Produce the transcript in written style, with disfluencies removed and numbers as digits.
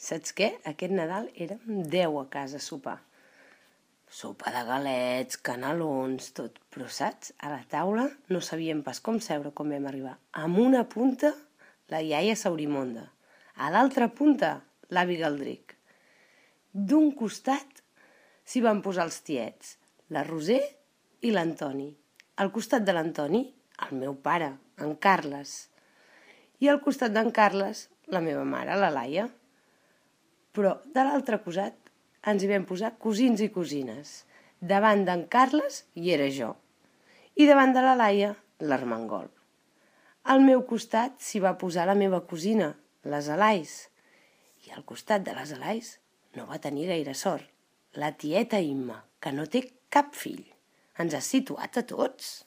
Saps què? Aquest Nadal érem 10 a casa a sopar. Sopa de galets, canelons, tot. Però saps? A la taula no sabíem pas com seure quan vam arribar. Amb una punta, la iaia Saurimonda. A l'altra punta, l'avi Galdric. D'un costat s'hi van posar els tiets, la Roser i l'Antoni. Al costat de l'Antoni, el meu pare, en Carles. I al costat d'en Carles, la meva mare, la Laia. Però de l'altre costat ens hi vam posar cosins i cosines. Davant d'en Carles hi era jo. I davant de la Laia, l'Armengol. Al meu costat s'hi va posar la meva cosina, les Alais. I al costat de les Alais no va tenir gaire sort. La tieta Imma, que no té cap fill. Ens ha situat a tots.